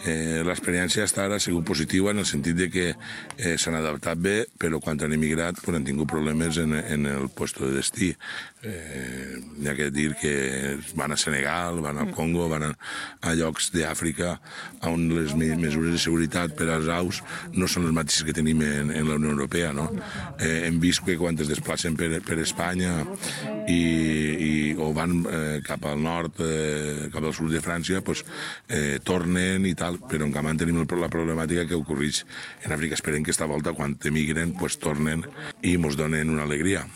L'experiència fins ara ha sigut positiva en el sentit de que s'han adaptat bé, però quan han emigrat han tingut problemes en el lloc de destí. N'hi ha que dir que van a Senegal, van al Congo, van a llocs d'Àfrica on les mesures de seguretat per als aus no són les mateixes que tenim en la Unió Europea. Hem vist que quan es desplacen per Espanya o van cap al nord, cap al sud de França, tornen i tal, però en canvi tenim la problemàtica que ocorreix en Àfrica. Esperem que esta volta, quan emigren, tornen i ens donen una alegria.